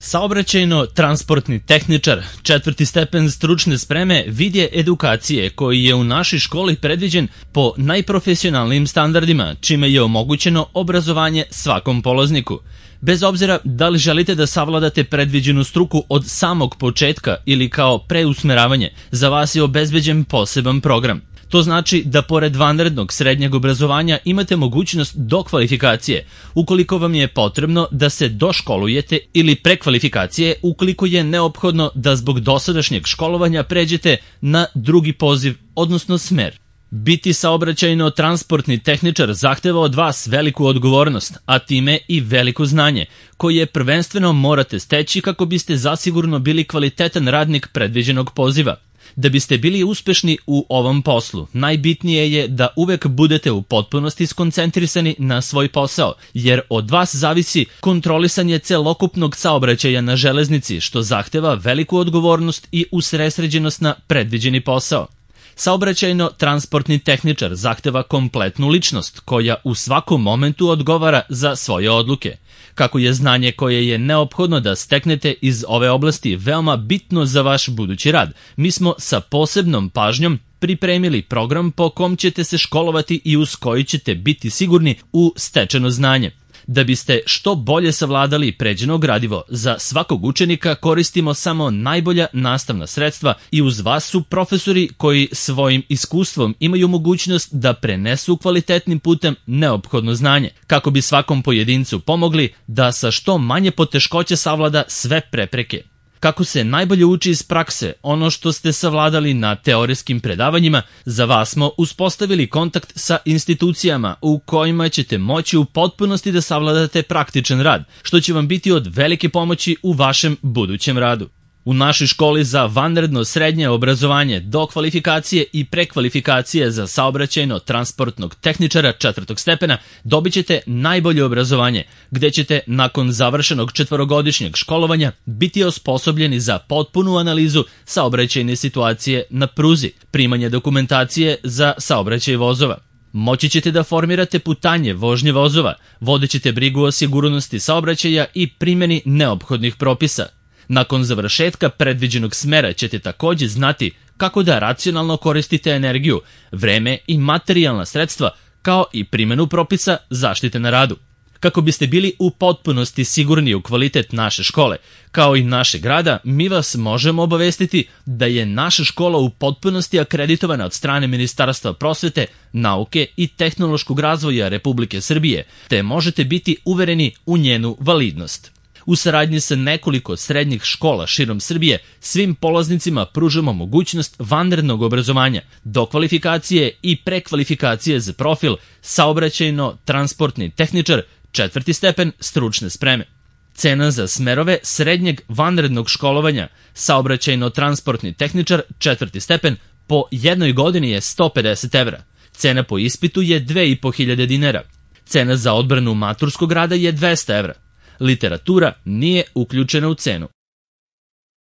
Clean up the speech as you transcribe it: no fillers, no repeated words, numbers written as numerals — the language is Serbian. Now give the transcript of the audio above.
Saobraćajno-transportni tehničar, 4. stepen stručne spreme, vid je edukacije koji je u našoj školi predviđen po najprofesionalnijim standardima, čime je omogućeno obrazovanje svakom polazniku. Bez obzira da li želite da savladate predviđenu struku od samog početka ili kao preusmeravanje, za vas je obezbeđen poseban program. To znači da pored vanrednog srednjeg obrazovanja imate mogućnost dokvalifikacije ukoliko vam je potrebno da se doškolujete ili prekvalifikacije ukoliko je neophodno da zbog dosadašnjeg školovanja pređete na drugi poziv, odnosno smer. Biti saobraćajno-transportni tehničar zahteva od vas veliku odgovornost, a time i veliko znanje, koje prvenstveno morate steći kako biste zasigurno bili kvalitetan radnik predviđenog poziva. Da biste bili uspešni u ovom poslu, najbitnije je da uvek budete u potpunosti skoncentrisani na svoj posao, jer od vas zavisi kontrolisanje celokupnog saobraćaja na železnici, što zahteva veliku odgovornost i usredsređenost na predviđeni posao. Saobraćajno-transportni tehničar zahteva kompletnu ličnost koja u svakom momentu odgovara za svoje odluke. Kako je znanje koje je neophodno da steknete iz ove oblasti veoma bitno za vaš budući rad, mi smo sa posebnom pažnjom pripremili program po kom ćete se školovati i uz koji ćete biti sigurni u stečeno znanje. Da biste što bolje savladali pređeno gradivo, za svakog učenika koristimo samo najbolja nastavna sredstva i uz vas su profesori koji svojim iskustvom imaju mogućnost da prenesu kvalitetnim putem neophodno znanje, kako bi svakom pojedincu pomogli da sa što manje poteškoća savlada sve prepreke. Kako se najbolje uči iz prakse, ono što ste savladali na teorijskim predavanjima, za vas smo uspostavili kontakt sa institucijama u kojima ćete moći u potpunosti da savladate praktičan rad, što će vam biti od velike pomoći u vašem budućem radu. U našoj školi za vanredno srednje obrazovanje, dokvalifikacije i prekvalifikacije za saobraćajno-transportnog tehničara 4. stepena dobit ćete najbolje obrazovanje, gde ćete nakon završenog 4-godišnjeg školovanja biti osposobljeni za potpunu analizu saobraćajne situacije na pruzi, primanje dokumentacije za saobraćaj vozova. Moći ćete da formirate putanje vožnje vozova, vodećete brigu o sigurnosti saobraćaja i primjeni neophodnih propisa. Nakon završetka predviđenog smera ćete takođe znati kako da racionalno koristite energiju, vreme i materijalna sredstva, kao i primjenu propisa zaštite na radu. Kako biste bili u potpunosti sigurni u kvalitet naše škole, kao i našeg rada, mi vas možemo obavestiti da je naša škola u potpunosti akreditovana od strane Ministarstva prosvete, nauke i tehnološkog razvoja Republike Srbije, te možete biti uvereni u njenu validnost. U saradnji sa nekoliko srednjih škola širom Srbije, svim polaznicima pružamo mogućnost vanrednog obrazovanja, dokvalifikacije i prekvalifikacije za profil saobraćajno-transportni tehničar 4. stepen stručne spreme. Cena za smerove srednjeg vanrednog školovanja saobraćajno-transportni tehničar 4. stepen po jednoj godini je 150 evra. Cena po ispitu je 2500 dinara. Cena za odbranu maturskog rada je 200 evra. Literatura nije uključena u cenu.